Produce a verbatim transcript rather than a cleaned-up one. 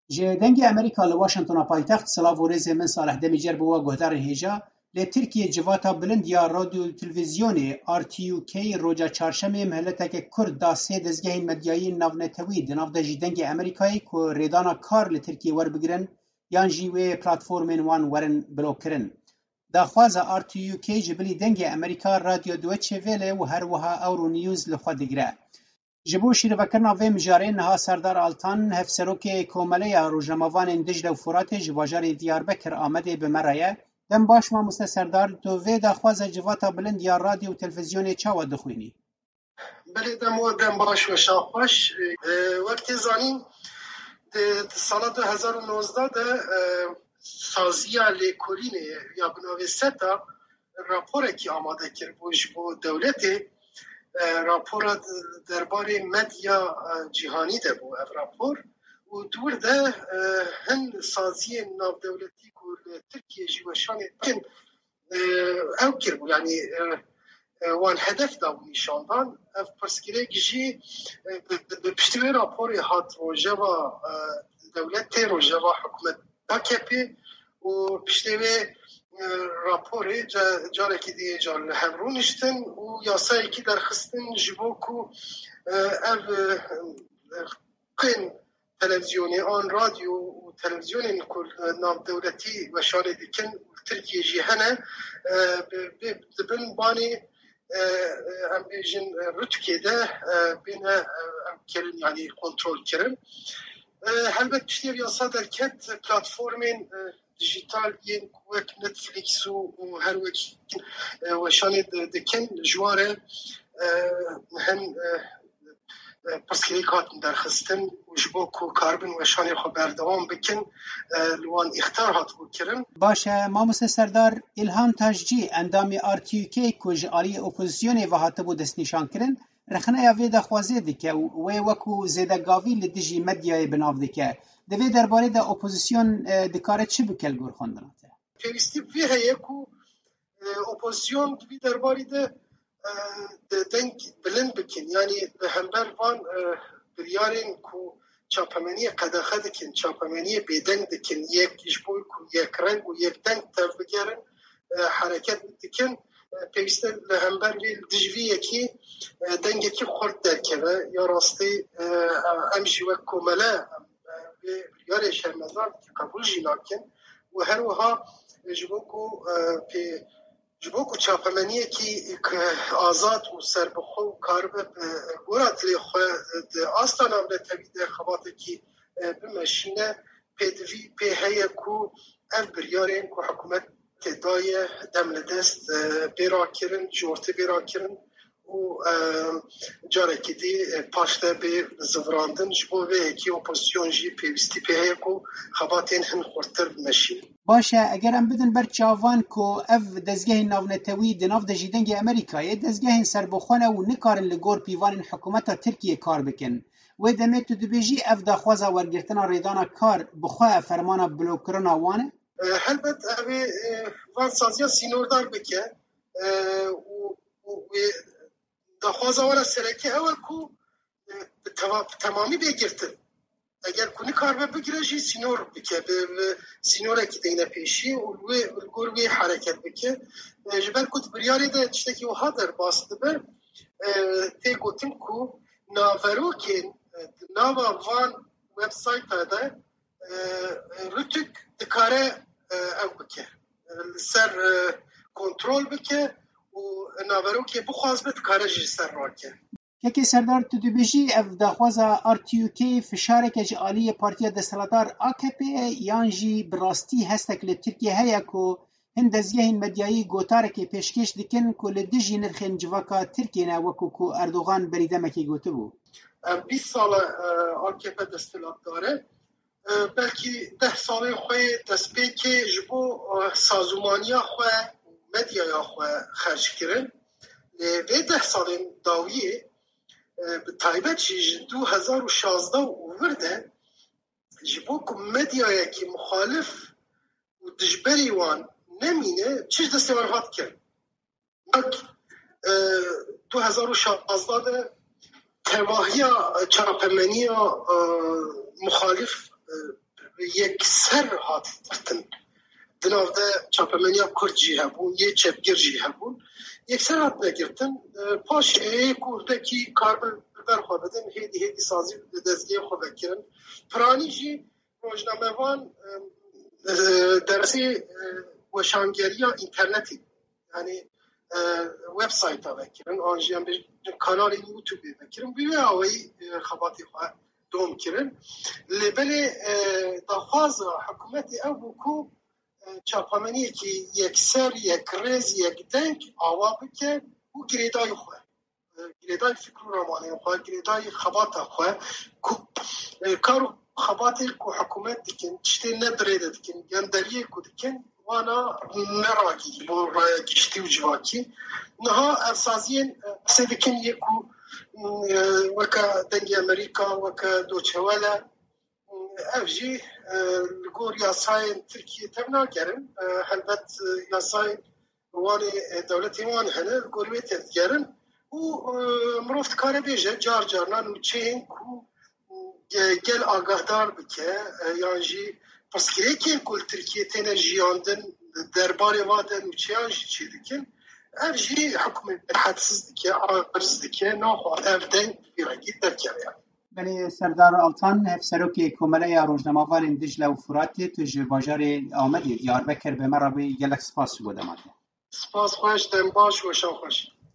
Ji Dengê Amerîka li Washingtona paytext, silav û rêzê min Salih Demîcer bo we guhdarên hêja. Li Tirkiyê civata bilind ya radyo û televîzyonê R T U K roja çarşemê miheleteke kurt da sê dezgehên medyayî navnetewî, di nav de jî Dengê Amerîkayê, ku rêdana kar li Tirkiyê werbigirin yan jî wê platformên wan werin blokkirin. Daxwaza R T U K ji bilî Dengê Amerîka, Radyo Deutsche Welle û her wiha Euronews li xwe digire. Ji bo şîrovekirina vê mijarê niha Serdar Altan, hevserokê Komeleya Rojnamevanên Dicle û Furatê ji bajarê Diyarbekir Amedê bi me re ye. Dem baş mamoste Serdar, tu vê daxwaza civata bilind ya radyo û televîzyonê çawa dixwînî? Belê, dem we dem baş, weşan xweş. E, wek tê zanîn, di, di sala du hezar û nozdeh de, e, saziya lêkolînê ya bi navê SETA raporekî amade kiribû ji bo dewletê. E, rapora derbarê medya, e, cîhanî de bû ev rapor. Û di wir de, e, hin saziyên navdewletî ku li Tirkiyê jî weşanê dikin, e, ew kiribû, yanî, e, e, wan hedef dabû nîşandan. Ev pirsgirêk jî, e, bi, bi, bi piştî wê raporê hat rojeva, e, dewletê, rojeva hikûmet A K P û piştê wê, e, raporê ca-, carekî dî car li hev rûniştin û yasayekî derxistin ji bo ku, e, ev, e, qên televîzyonê an radyo û televîzyonên ku li navdewletî weşanê dikin û li Tirkiyê jî hene, e, bi, bi, dibin banê, e, e, em bêjin, e, rûtûkê de, e, bêne, e, em kirin, yanî kontrol kirin. E, helbet piştî ev yasa derket, platformên, e, dijital yên ku wek Netflix û, û her wek, e, weşanê di-, dikin, ji wan re, e, hin, e, e, pirsgirêk hatin derxistin û ji bo ku karibin weşanê xwe berdewam bikin, e, li wan îxtar hatibû kirin. Baş e, mamoste Serdar, Îlham Taşcî, endamê R T U K ku ji aliyê opozisyonê ve hatibû destnîşankirin, rexneya vê daxwazê dike û wê wekû zêdegavî li dijî medyayê bi nav dike. Di vê derbarê de opozisyon, e, dikare çi bike li gor xwendina te? Pêwîstî vê heye ku, e, opozisyon di vî derbarî de, e, de deng bilind bikin. Yanî li hember van, e, biryarên ku çapemeniyê qedexe dikin, çapemeniyê bêdeng dikin, yek ji bo ku yekreng û yekdeng tevbigerin, e, hereket dikin. E, pêwîst e li hember vê, li dij vî yekî, e, dengekî xurt derkeve. Ya rastî, e, em jî wek komele, em, e, vê biryarê şermezar dikin, qebûl jî nakin û her wiha, e, ji bo ku, e, pê, ji bo ku çapemeniyekî k-, azad û serbixwe û karibe bi gora dilê xwe di asta navnetewî de xebatekî, e, bimeşîne, pêdivî pê heye ku ev biryarên ku hikûmetê daye dem li dest, e, bê rakirin, ji ortê bê rakirin û, e, carekî dî, e, paşde bê zivirandin. Ji bo vê yekê opozisyon jî pêwîstî pê heye ku xebatên hin xurttir bimeşînin. Baş e, eger em bidin ber çavan ku ev dezgehên navnetewî di nav de jî Dengê Amerîkayê dezgehên serbixwe ne û nikarin li gor pîvanên hikûmeta Tirkiyê kar bikin. Wê demê tu dibêjî ev daxwaza wergirtina rêdana kar bi xwe fermana blokkirina wan e? E, helbet ew ê, e, van saziya sînordar bike, e, û, û wê daxwaza wan a sereke ew e ku, e, bi teva-, bi temamî bê girtin. Eger ku nikaribe bigire jî sînor bike, bi, bi sînorekî deyne pêşî û li wê, li gor wê hereket bike. E, ji ber ku di biryarê de tiştekî wiha derbas dibe, e, tê gotin ku naverokên, e, di nava van websayta de, e, rûtûk dikare, e, ew bike, li ser, e, kontrol bike û naverokê bixwaze dikare jî li ser rake. Kekê Serdar, tu dibêjî ev daxwaza R T U K fişareke ji aliyê partiya desthilatdar A K P ye yan jî bi rastî hestek li Tirkiye heye ku hin dezgehên medyayî gotarekê pêşkêş dikin ku li dijî nirxên civaka Tirkiyê ne, wekû ku Erdogan berî demekê gotibû? Em bîst sal e, e, A K P desthilatdar e. E, belkî deh salên xwe yê destpêkê ji bo, e, sazûmaniya xwe û medyaya xwe xerc kirin. Lê vê deh salên dawiyê, e, bi taybet jî ji du hezar û şazdeh û vir de ji bo ku medyayekî muxalif û dijberî wan nemîne, çi ji destê wan hat kirin. Wek, e, du hezar û şazdeh de tevahiya çapemeniya, e, muxalif, e, yekser hat girtin. Di nav de çapemeniya Kurd jî hebûn, yê çepgir jî hebûn. Yekser hatine girtin. E, paşê yê Kurdekî karbir ber xwe bidin, hêdî hêdî sazî bi dezgehê xwe vekirin. Piranî jî rojnamevan, e, e, dersê, e, weşangeriya înternetê, yanî, e, websayta vekirin, an jî em bêjin kanalên YouTube vekirin, bi wê awayî, e, xebatê xwe dom kirin. Lê belê, e, daxwaza hikûmetê ew bû ku, e, çapameniyekî yekser, yekrêz, yekdeng ava bike û girêdayî xwe, e, girêdayî fikr û ramanên xwe, girêdayî xebata xwe ku, e, kar û xebatê ku hikûmet dikin, tiştê ne bi rê de dikin, genderiyê ku dikin, wana ne ragî bo raya giştî û civakî. Niha ev saziyên, e, qisê dikin yê ku, e, weke Dengê Amerîka, weke Deutsche Welle, ev jî, e, li gor yasayên Tirkiyê tevnagerin. E, helbet, e, yasayên wanê, e, dewletên wan hene, li gorî wê tevdigerin. Û, e, mirov dikare bêje, car carna nûçeyên ku, e, gel agahdar bike, e, yan jî pirsgirêkên ku li Tirkiyê têne jiyandin, derbarê va de nûçeyan jî çêdikin. Ev jî hikûmet hedsiz dike, aciz dike, naxwe ev deng bi vî rengî derkeve. Belê Serdar Altan, Hevserokê Komeleya Rojnamevanên Dicle û Furatê, tu ji bajarê Amedê, Diyarbekir, bi me re bûyî, gelek spas ji bo dema te. Spas xweş, dem baş, weşan xweş.